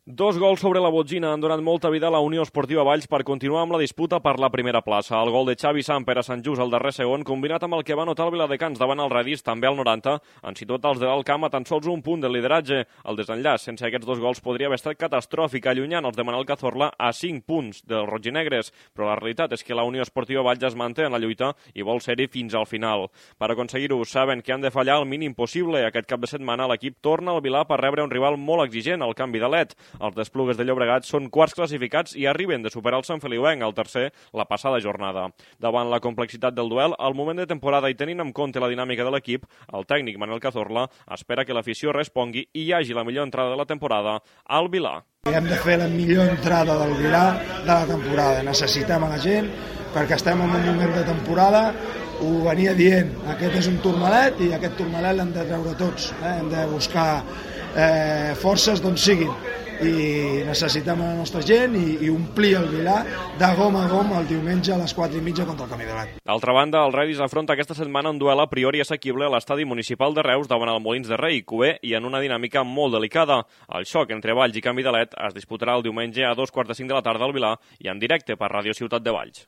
Dos gols sobre la botzina han donat molta vida a la Unió Esportiva Valls per continuar amb la disputa per la primera plaça. El gol de Xavi Samper a Sant Just al darrer segon, combinat amb el que va notar el Viladecans davant el Radis, també al 90, han situat els de l'Alt Camp a tan sols un punt del lideratge. El desenllaç sense aquests dos gols podria haver estat catastròfic, allunyant els de Manel Cazorla a 5 punts dels rojinegres, però la realitat és que la Unió Esportiva Valls es manté en la lluita i vol ser-hi fins al final. Per aconseguir-ho, saben que han de fallar el mínim possible. Aquest cap de setmana l'equip torna al Vilà per rebre un rival molt exigent, el canvi de led. Els d'Esplugues de Llobregat són quarts classificats i arriben de superar el Sant Feliuenc, el tercer, la passada jornada. Davant la complexitat del duel, al moment de temporada i tenint en compte la dinàmica de l'equip, el tècnic Manel Cazorla espera que l'afició respongui i hi hagi la millor entrada de la temporada al Vilà. Hem de fer la millor entrada del Vilà de la temporada. Necessitem a la gent perquè estem en un moment de temporada. Ho venia dient, aquest és un turmalet i aquest turmalet l'hem de treure tots. Hem de buscar forces d'on siguin i necessitem la nostra gent i omplir el Vilà de gom a gom el diumenge a les 4:30 contra el Camí de Gat. D'altra banda, el Radis afronta aquesta setmana un duel a priori assequible a l'estadi municipal de Reus davant el Molins de Rei, cuer i en una dinàmica molt delicada. El xoc entre Valls i Canvi de Led es disputarà el diumenge a 2:45 de la tarda al Vilà i en directe per Ràdio Ciutat de Valls.